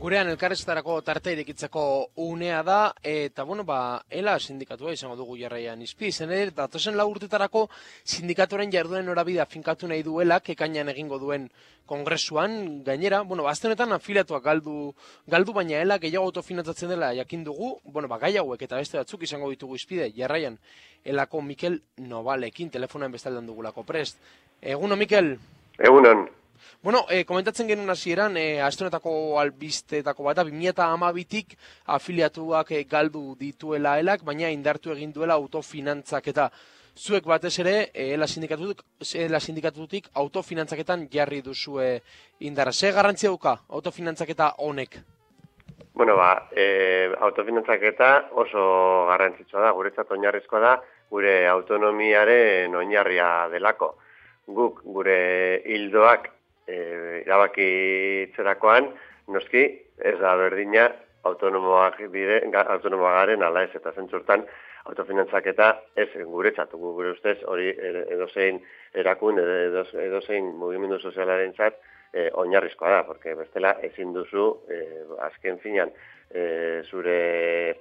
Gurean elkarrizketarako tartea irekitzeko unea da, eta ELA sindikatua izango dugu jarraian izpi, zen ere, datozen 4 urtetarako sindikatuaren jarduen norabidea finkatu nahi duela, ekainean egingo duen kongresuan, gainera, azte honetan afiliatuak galdu baina ELA gehiago autofinantzatzen dela jakin dugu, gai hauek eta beste batzuk izango ditugu izpide, jarraian ELako Mikel Nobalekin, telefonoen bestaldean dugulako prest. Eguno, Mikel? Egunon. Komentatzen genuen hasieran, aste honetako albisteetako bat, 2012tik afiliatuak galdu dituela ELAk, baina indartu egin duela autofinantzaketa. Zuek batez ere, ELA sindikatutik autofinantzaketan jarri duzue indarra. Ze garrantzia dauka autofinantzaketa honek? Autofinantzaketa oso garrantzitsua da, guretzat oinarrizkoa da, gure autonomiaren oinarria delako. Guk gure hildoak erabakitzerakoan, noski, ez da berdina autonomoak garen ala ez, eta zentzurtan autofinantzaketa ez guretzat, gure ustez hori edozein erakun, edozein mugimendu sozialaren zat, oinarrizkoa da, porque bestela ezin duzu, azken finan, zure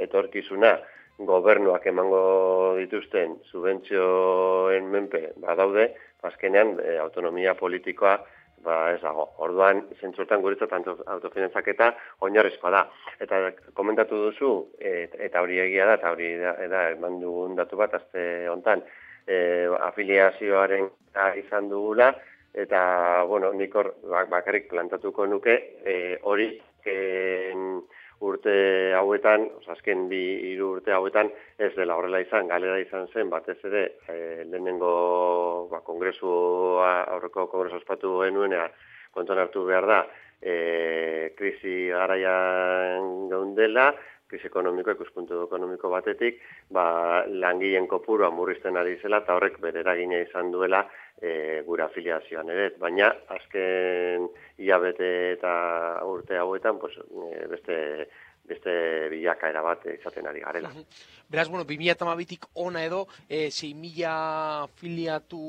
etorkizuna gobernuak emango dituzten subentzioen menpe badaude, azkenean autonomia politikoa ez dago. Orduan, zentzurtan guretzat autofinantzaketa oinarrizkoa da. Eta komentatu duzu, eta hori egia da, eta hori da eman dugun datu bat azte hontan, afiliazioaren izan dugula, eta, nik hor bakarrik plantatuko nuke, hori urte hauetan, azken 2-3 urte hauetan, ez dela horrela izan, galera izan zen, batez ere, lehenengo aurreko kongresu ospatu genuenea kontuan hartu behar da, krisi garaian geundela, krisi ekonomiko, ikuspuntu ekonomiko batetik, langileen kopurua murrizten ari zela, eta horrek bere eragina izan duela gure afiliazioan ere. Baina, azken hilabete eta urte hauetan, beste bilakaera bat izaten ari garela. Beraz, 2012tik ona edo, 6.000 afiliatu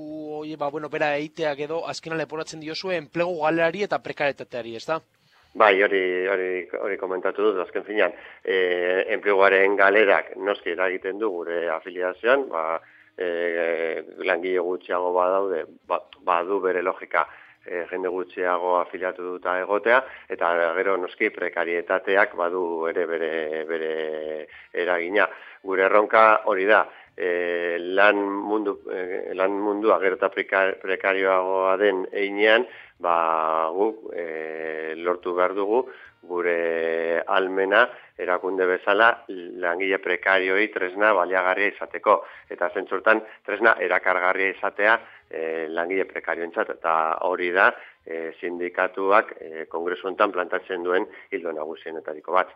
bera eiteak edo, azkena leporatzen diozue, enplegu galerari eta prekaretateari, ez da? Bai, hori komentatu dut, azken finean, enpleguaren galerak noski eragiten du gure afiliazioan, langile gutxiago badaude, badu bere logika jende gutxiago afiliatu duta egotea, eta gero noski prekarietateak badu ere bere eragina. Gure erronka hori da, lan mundua gero eta prekarioagoa den einean, guk lortu behar dugu gure almena erakunde bezala langile prekarioi tresna baliagarria izateko. Eta zentzurtan tresna erakargarria izatea langile prekarioentzat. Eta hori da sindikatuak kongresu honetan plantatzen duen ildo nagusienetariko bat.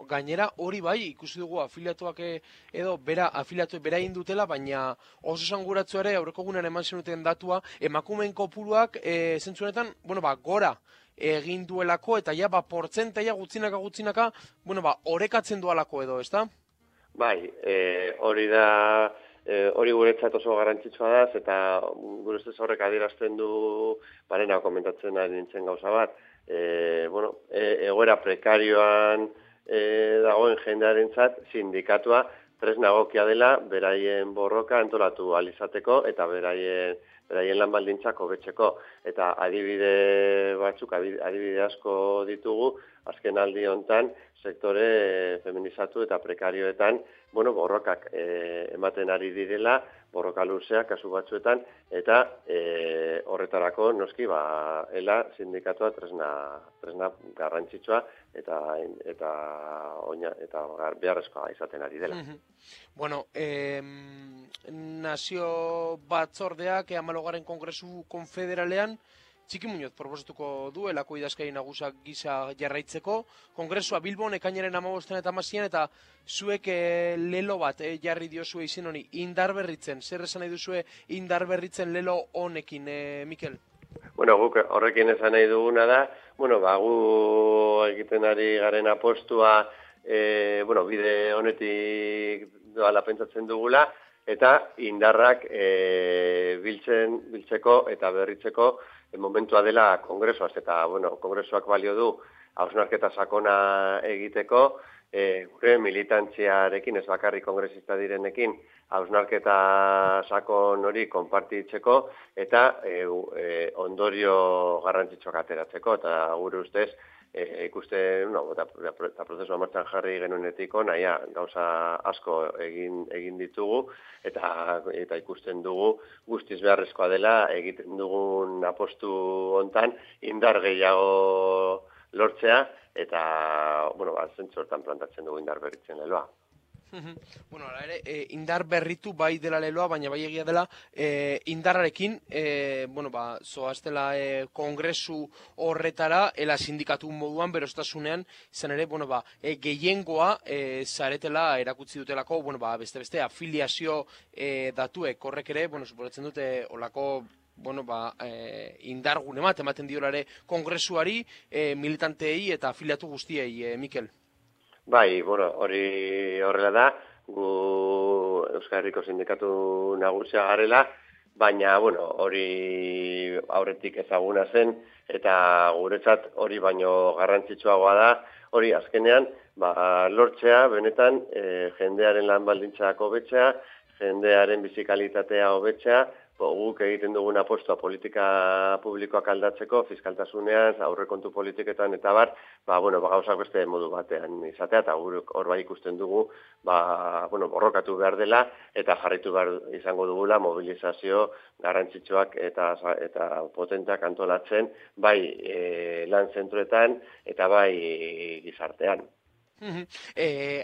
Gainera hori bai, ikusi dugu afiliatuak edo afiliatuek bera egin dutela, baina oso esanguratsua ere aurreko egunean eman zenuten datua, emakumeen kopuruak zentzunetan, gora egin duelako, eta portzentaia gutzinaka, orekatzen dualako edo, ezta? Bai, hori da, hori guretzat oso garrantzitsua da, eta gure ustez horrek adierazten du, barena komentatzen ari nintzen gauza bat, egoera prekarioan dagoen jendearentzat sindikatua tresna egokia dela beraien borroka antolatu ahal izateko eta beraien lan baldintzak hobetzeko. Eta adibide batzuk, adibide asko ditugu, azken aldi hontan sektore feminizatu eta prekarioetan borrokak ematen ari direla, borroka luzeak kasu batzuetan, eta horretarako noski ELA sindikatua tresna garrantzitsua eta beharrezkoa izaten ari dela. Nazio batzordeak 14. Kongresu Konfederalean Txiki Muñoz proposatuko du ELako idazkari nagusak gisa jarraitzeko. Kongresua Bilbon ekainaren 15 eta 16 eta zuek lelo bat jarri diozue izen honi indarberritzen. Zer esan nahi duzue indarberritzen lelo honekin, Mikel? Guk horrekin esan nahi duguna da, gu egiten ari garen apostua, bide honetik doala pentsatzen dugula, eta indarrak biltzeko eta berritzeko momentua dela kongresuaz, eta, bueno, kongresuak balio du hausnarketa sakona egiteko, gure militantziarekin, ez bakarrik kongresista direnekin, hausnarketa sakon hori konpartitzeko, eta ondorio garrantzitsuak ateratzeko, eta gure ustez, ikusten, eta prozesua martxan jarri genuenetik naia, gauza asko egin ditugu, eta ikusten dugu guztiz beharrezkoa dela egiten dugun apostu hontan indar gehiago lortzea, eta, zentzu hortan plantatzen dugu indar berritzen leloa. Bueno, ala ere, indar berritu bai dela leloa, baina bai egia dela indarrarekin, zoaztela kongresu horretara, ela sindikatu moduan, berostasunean, izan ere, gehiengoa zaretela erakutsi dutelako, beste afiliazio datuek horrek ere, suporatzen dute olako indargune bat ematen diolare kongresuari, militanteei eta afiliatu guztiei, Mikel. Bai, hori horrela da, gu Euskal Herriko sindikatu nagusia garela, baina, hori aurretik ezaguna zen, eta guretzat hori baino garrantzitsuagoa da, hori azkenean, lortzea, benetan, jendearen lan baldintzak hobetzea, jendearen bizikalitatea hobetzea, guk egiten dugun apostua politika publikoak aldatzeko, fiskaltasunean, aurrekontu politiketan eta gauzak beste modu batean izatea, eta hor bai ikusten dugu, borrokatu behar dela, eta jarritu behar izango dugula mobilizazio garrantzitsuak eta potentak antolatzen, bai lan zentruetan eta bai gizartean.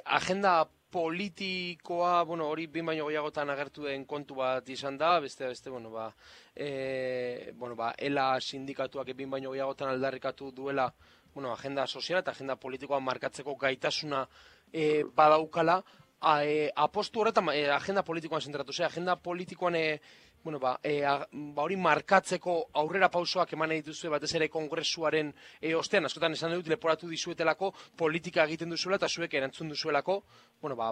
Agenda politikoa, hori behin baino gehiagotan agertu den kontu bat izan da, ELA sindikatuak behin baino gehiagotan aldarrikatu duela, agenda soziala eta agenda politikoa markatzeko gaitasuna badaukala, apostu horretan agenda politikoan zentratu, agenda politikoan hori markatzeko aurrera pausoak eman dituzue batez ere kongresuaren ostean, askotan esan dut leporatu dizuetelako politika egiten duzuela eta zuek erantzun duzuelako,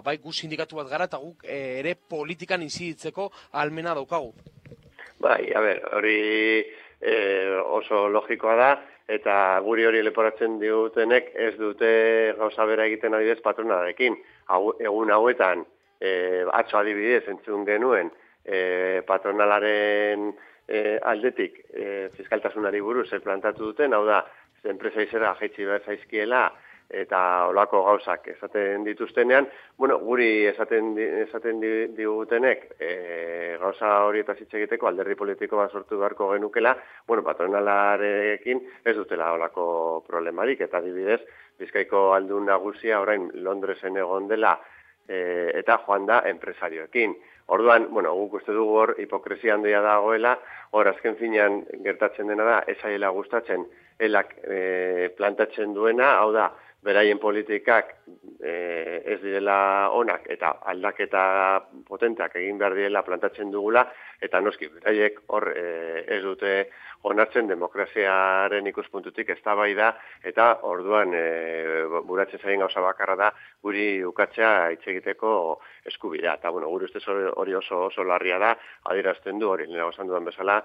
bai gu sindikatu bat gara eta guk ere politikan inziditzeko ahalmena daukagu. Bai, hori oso logikoa da, eta guri hori leporatzen digutenek ez dute gauza bera egiten adibidez patronalarekin. Egun hauetan, atzo adibidez entzun genuen, patronalaren aldetik fiskaltasunari buruz plantatu duten, hau da, enpresa izera jaitsi behar zaizkiela eta olako gauzak esaten dituztenean, guri esaten digutenek gauza horietaz hitz egiteko alderdi politiko bat sortu beharko genukela, patronalarekin ez dutela olako problemarik, eta adibidez, Bizkaiko aldun nagusia orain Londresen egon dela eta joan da enpresarioekin. Orduan, guk uste dugu hor hipokresia handia dagoela, hor azken finean gertatzen dena da, ez aiela gustatzen elak plantatzen duena, hau da, beraien politikak ez direla onak eta aldaketa potenteak egin behar direla plantatzen dugula, eta noski, beraiek hor ez dute onartzen demokraziaren ikuspuntutik eztabaida, eta orduan buratzen zaien gauza bakarra da guri ukatzea hitz egiteko eskubidea. Eta gure ustez hori oso larria da, adierazten du hori, lehenago esan dudan bezala,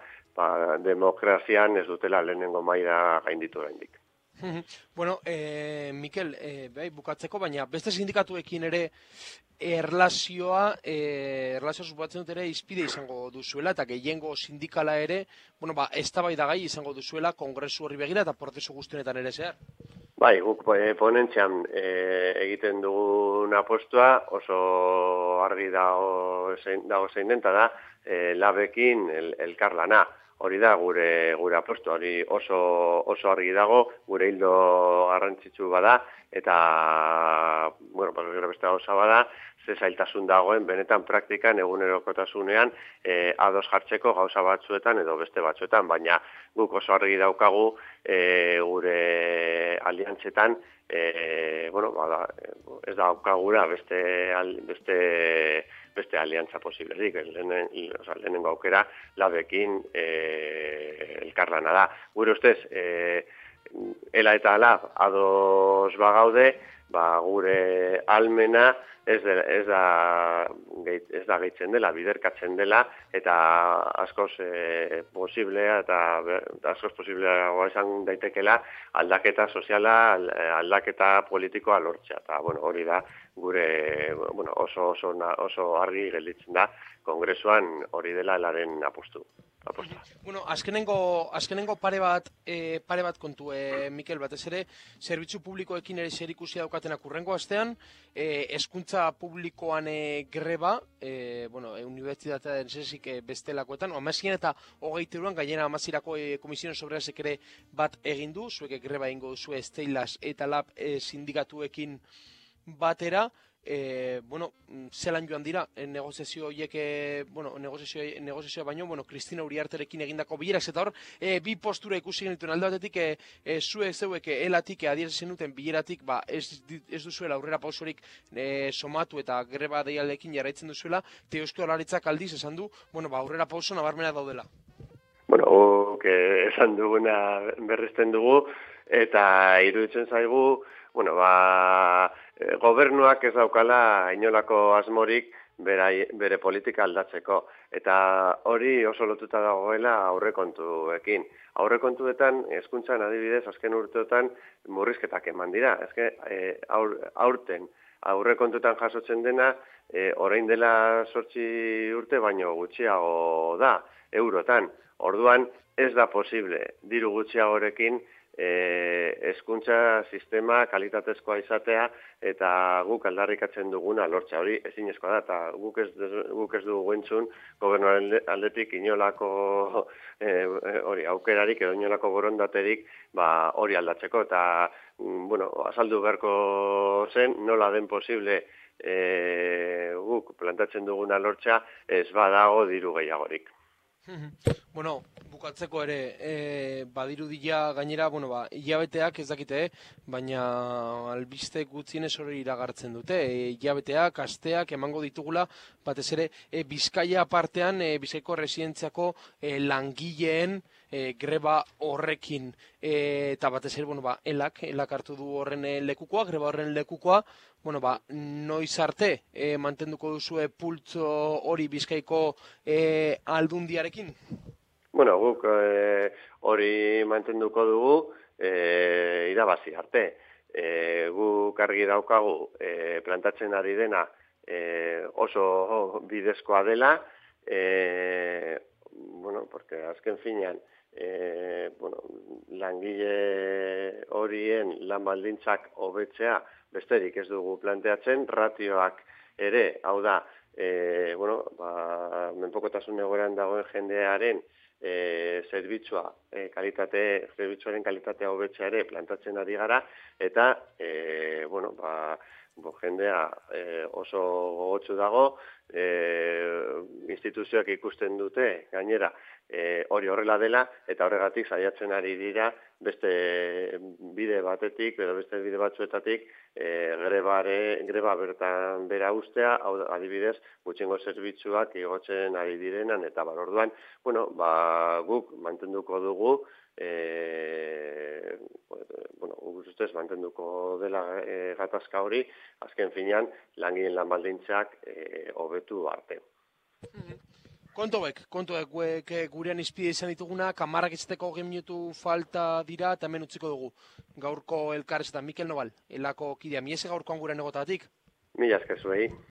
demokrazian ez dutela lehenengo maila gainditu oraindik. Mikel, bukatzeko, baina beste sindikatuekin ere erlazioa suposatzen dut ere izpide izango duzuela, eta gehiengo sindikala ere, eztabaidagai izango duzuela kongresu horri begira eta prozesu guztienetan ere zehar. Bai, guk ponentzian egiten dugun apostua oso argi dago zein den, eta da labekin elkarlana. Hori da gure apostu, hori oso argi dago, gure hildo garrantzitsu bada, eta, beste gauza bada, ze zailtasun dagoen, benetan praktikan, egunerokotasunean, ados jartzeko gauza batzuetan edo beste batzuetan, baina guk oso argi daukagu gure aliantzetan, ez daukagura beste aliantza posiblerik, lehenengo aukera labekin elkarlana da. Gure ustez, ela eta lab ados bagaude, gure almena ez da ez da gehitzen dela, biderkatzen dela, eta askoz posiblea eta askoz posibleagoa esan daitekela aldaketa soziala, aldaketa politikoa lortzea. Eta hori da gure oso argi gelditzen da Kongresuan hori dela elaren apostu. Azkenengo pare bat kontu, Mikel, batez ere, zerbitzu publikoekin ere zerikusia daukatenak urrengo astean, hezkuntza publikoan greba, unibertsitatean zesik bestelakoetan, amazien eta 23an, gainera amazirako komisionen sobrerazek ere bat egin du, zuek greba egingo duzu Steilas eta Lab sindikatuekin batera, zelan joan dira negoziazio horiek, negoziazioa baino, Kristina Uriarterekin egindako bilerak, eta hor, bi postura ikusi genituen alde batetik, zeuek elatik adierazten duten bileratik, ez duzuela aurrera pausorik somatu eta greba deialdeekin jarraitzen duzuela, eta Eusko Jaurlaritzak aldiz esan du, aurrera pauso nabarmenak daudela. Esan duguna berresten dugu, eta iruditzen zaigu, gobernuak ez daukala inolako asmorik bere politika aldatzeko. Eta hori oso lotuta dagoela aurrekontuekin. Aurrekontuetan, hezkuntzan adibidez, azken urteotan murrizketak eman dira. Aurten aurrekontuetan jasotzen dena, orain dela 8 urte baino gutxiago da, eurotan. Orduan ez da posible diru gutxiagorekin hezkuntza sistema kalitatezkoa izatea eta guk aldarrikatzen duguna lortza. Hori ezinezkoa da, eta guk ez dugu entzun gobernuaren aldetik inolako aukerarik edo inolako borondaterik hori aldatzeko. Eta azaldu beharko zen nola den posible guk plantatzen duguna lortza ez badago diru gehiagorik. Bukatzeko ere, badirudila gainera, hilabeteak ez dakite, baina albiste gutxienez hori iragartzen dute. Hilabeteak, asteak emango ditugula, batez ere, Bizkaia partean, Bizkaiko residentziako langileen greba horrekin. Eta batez ere, elak hartu du horren lekukoa, greba horren lekukoa, noiz arte mantenduko duzue pultzo hori Bizkaiko aldundiarekin? Guk hori mantenduko dugu irabazi arte. Guk argi daukagu plantatzen ari dena oso bidezkoa dela, porque azken finean langile horien lan baldintzak hobetzea besterik ez dugu planteatzen, ratioak ere, hau da, menpekotasun egoeran dagoen jendearen zerbitzuaren kalitatea hobetzea ere plantatzen ari gara, eta jendea oso gogotsu dago, instituzioak ikusten dute gainera hori horrela dela, eta horregatik saiatzen ari dira beste bide batetik edo beste bide batzuetatik greba bertan bera ustea, adibidez gutxiengo zerbitzuak igotzen ari direnan, eta orduan guk mantenduko dugu, ustez mantenduko dela gatazka hori, azken finean langileen lan baldintzak hobetu arte. Kontuek, gurean izpide izan ditugunak, 10 izateko 20 minutu falta dira, eta hemen utziko dugu. Gaurko elkarrezetan, Mikel Nobal, elako kidea, miese gaurkoan gurean egotatik? Mila esker zuei.